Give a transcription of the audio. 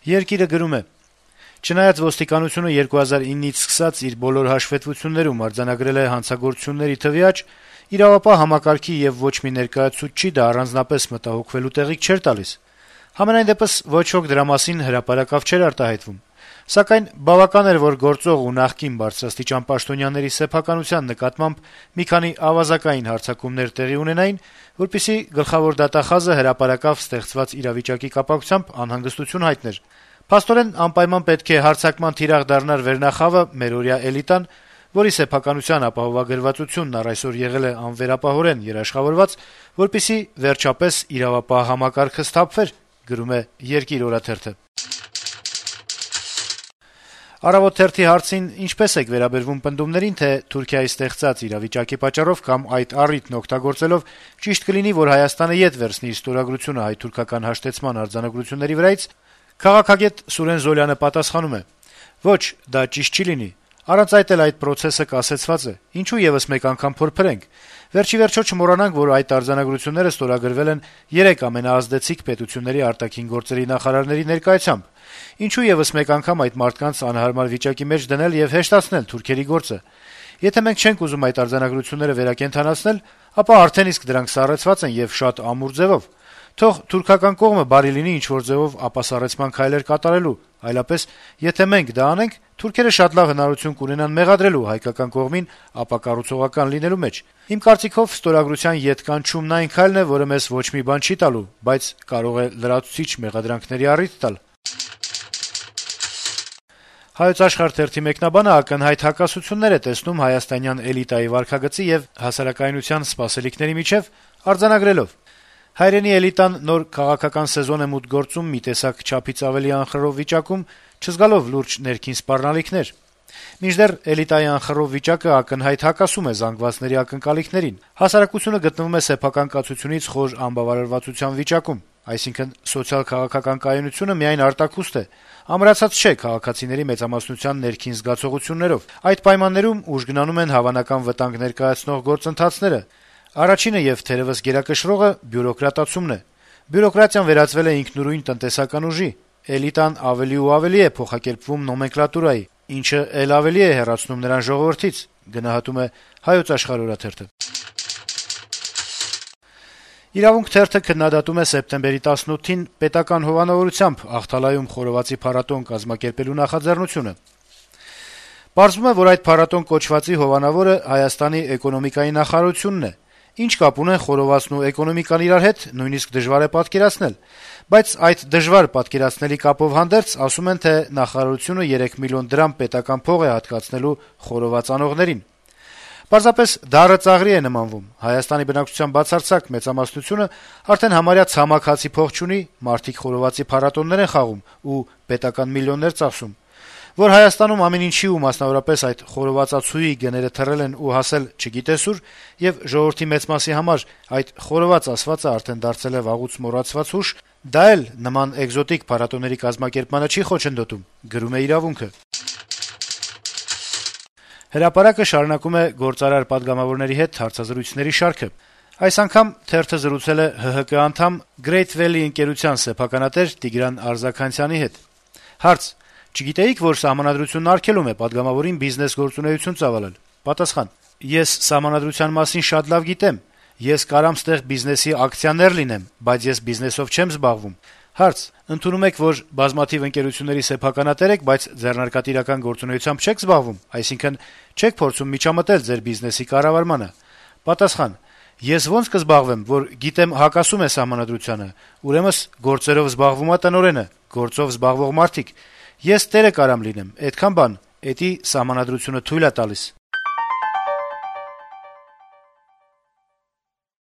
Երկիրը գրում է. Չնայած ոստիկանությունը 2009-ից սկսած իր բոլոր հաշվետվություններում արձանագրել է հանցագործությունների թվի աճ, իրավապահ համակարգի եւ ոչ մի ներկայացուցչի դա առանձնապես մտահոգվելու տեղիք չէր տալիս։ Համենայն դեպս ոչ ոք դրա մասին հրապարակավ չէր արտահայտվում։ Սակայն բավական էր, որ գործող ու նախկին բարձրաստիճան պաշտոնյաների սեփականության նկատմամբ մի քանի ավազակային հարձակումներ տեղի ունենային, որպեսզի գլխավոր դատախազը հրապարակավ ստեղծված իրավիճակի կապակցությամբ անհանգստություն հայտներ։ Փաստորեն անպայման պետք է հարձակման թիրախ դառնար վերնախավը մերօրյա էլիտան, որի սեփականության ապահովագրվածությունն առ այսօր եղել է անվերապահորեն երաշխավորված, որպեսզի վերջապես իրավապահ համակարգը սթափվեր, գրում է Երկիր օրաթերթը։ Առավոտ թերթի հարցին ինչպես եք վերաբերվում պնդումներին, թե Թուրքիայի ստեղծած իրավիճակի պատճառով կամ այդ առիթն օգտագործելով ճիշտ կլինի, որ Հայաստանը ետ վերցնի իր ստորագրությունը հայ-թուրքական հաշտեցման արձանագրությունների վրայից, քաղաքագետ Սուրեն Զոլյանը պատասխանում է. Ոչ, դա ճիշտ չի լինի։ Առանց այդ էլ այդ process-ը կասեցված է։ Ինչու եւս մեկ անգամ փորփրենք։ Վերջի վերջո չմոռանանք, որ այդ արձանագրությունները ստորագրվել են 3 ամենաազդեցիկ պետությունների արտաքին գործերի նախարարների ներկայությամբ։ Ինչու եւս մեկ անգամ այդ մարդկանց անհարմար վիճակի մեջ դնել եւ հեշտացնել թուրքերի գործը։ Եթե մենք չենք ուզում այդ արձանագրությունները վերակենդանացնել, ապա արդեն իսկ դրանք սառեցված են եւ շատ ամուր ձևով։ Թող թուրքական կողմը բարի լինի ինչ-որ ձևով ապասառեցման քայլեր կատարելու, այլապես եթե մենք դա անենք, թուրքերը շատ լավ հնարություն կունենան մեղադրելու հայկական կողմին ապակառուցողական լինելու մեջ։ Իմ կարծիքով ստորագրության ետ կանչումն այն քայլն է, որը մեզ ոչ մի բան չի տալու, բայց կարող է լրացուցիչ մեղադրանքների առիթ տալ։ Հայոց Աշխարհ թերթի մեկնաբանը ակնհայտ հակասություններ է տեսնում հայաստանյան էլիտայի վարքագծի եւ հասարակայնության սպասելիքների միջեւ, արձանագրելով. Հայրենի էլիտան նոր քաղաքական սեզոն է մուտք գործում մի տեսակ չափից ավելի անխռով վիճակում, չզգալով լուրջ ներքին սպառնալիքներ։ Մինչդեռ էլիտայի անխռով վիճակը ակնհայտ հակասում է զանգվածների ակնկալիքներին։ Հասարակությունը գտնվում է սեփական կացությունից խոր անբավարարվածության վիճակում, այսինքն սոցիալ-քաղաքական կայունությունը միայն արտաքուստ է, ամրացած չէ քաղաքացիների մեծամասնության ներքին զգացողություններով։ Այդ պայմաններում ուժգնանում են հավանական վտանգ ներկայացնող գործընթացները։ Առաջինը եւ թերևս գերակշռողը բյուրոկրատացումն է։ Բյուրոկրատիան վերածվել է ինքնուրույն տնտեսական ուժի։ Էլիտան ավելի ու ավելի է փոխակերպվում նոմենկլատուրայի, ինչը ել ավելի է հեռացնում նրան ժողովրդից, գնահատում է Հայոց Աշխարհ օրաթերթը։ Իրավունք թերթը քննադատում է սեպտեմբերի 18-ին պետական հովանավորությամբ Ախթալայում խորովածի փառատոն կազմակերպելու նախաձեռնությունը։ Պարզվում է, որ այդ փառատոն կոչվածի հովանավորը Հայաստանի էկոնոմիկայի նախարարությունն է։ Ինչ կապ ունեն խորովածն ու էկոնոմիկան իրար հետ, նույնիսկ դժվար է պատկերացնել, բայց այդ դժվար պատկերացնելի կապով հանդերձ ասում են, թե նախարարությունը 3 միլիոն դրամ պետական փող է հատկացնելու խորոված անողներին։ Պարզապես դառը ծաղրի է նմանվում։ Հայաստանի բնակչության բացարձակ մեծամասնությունը արդեն համարյա ցամաքացի փող չունի, մարդիկ խորովածի փառատոններ են խաղում ու պետական միլիոններ ծախսում։ Որ Հայաստանում ամեն ինչի ու մասնավորապես այդ խորովածացուի գները թռել են ու հասել չգիտես ուր, եւ ժողովրդի մեծ մասի համար այդ խորոված ասվածը արդեն դարձել է վաղուց մոռացված հուշ, դա էլ նման էկզոտիկ փառատոների կազմակերպմանը չի խոչընդոտում, գրում է Իրավունքը։ Հրապարակը շարունակում է գործարար պատգամավորների հետ հարցազրույցների շարքը։ Այս անգամ թերթը զրուցել է ՀՀԿ անդամ Great Valley ընկերության սեփականատեր Տիգրան Արզականցյանի հետ։ Հարց. Չգիտեիք, որ սահմանադրությունն արգելում է պատգամավորին բիզնես գործունեություն ծավալել։ Պատասխան. Ես սահմանադրության մասին շատ լավ գիտեմ։ Ես կարամ ստեղ բիզնեսի ակցիաներ լինեմ, բայց ես բիզնեսով չեմ զբաղվում։ Հարց. Ընդունում եք, որ բազմաթիվ ընկերությունների սեփականատեր եք, բայց ձեռնարկատիրական գործունեությամբ չեք զբաղվում, այսինքն չեք փորձում միջամտել ձեր բիզնեսի կառավարմանը։ Պատասխան. Ես ոնց կզբաղվեմ, որ գիտեմ հակասում է սահմանադրությանը, ուրեմն գործերով զբաղվում է տնօրենը, գործով զբաղվող մարդիկ։ Ես տերը կարամ լինեմ, այդքան բան, էդի սահմանադրությունը թույլ է տալիս։